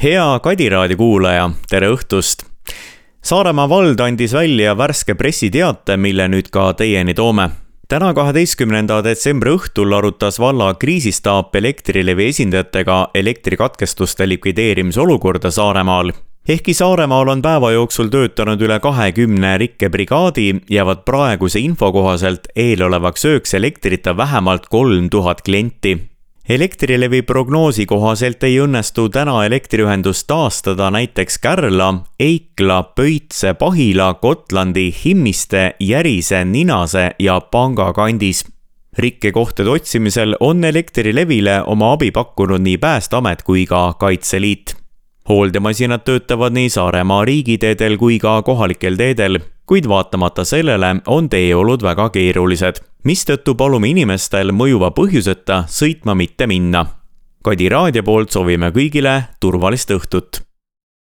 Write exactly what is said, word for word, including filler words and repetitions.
Hea Kadi raadio kuulaja, tere õhtust! Saaremaa vald andis välja värske pressiteate, mille nüüd ka teieni toome. Täna kaheteistkümnenda detsembri õhtul arutas valla kriisistaap Elektrilevi esindajatega elektrikatkestuste likvideerimise olukorda Saaremaal. Ehkki Saaremaal on päeva jooksul töötanud üle kahekümne rikkebrigaadi, jäävad praeguse info kohaselt eelolevaks ööks elektrita vähemalt kolm tuhat klienti. Elektrilevi prognoosi kohaselt ei õnnestu täna elektriühendust taastada näiteks Kärla, Eikla, Pöitse, Pahila, Kotlandi, Himmiste, Järise, Ninase ja Panga kandis. Rikkekohtade otsimisel on Elektrilevile oma abi pakkunud nii Päästeamet kui ka Kaitseliit. Hooldemasinad töötavad nii Saaremaa riigiteedel kui ka kohalikel teedel, kuid vaatamata sellele on teeolud väga keerulised, mistõttu palume inimestel mõjuva põhjuseta sõitma mitte minna. Kadi raadio poolt soovime kõigile turvalist õhtut.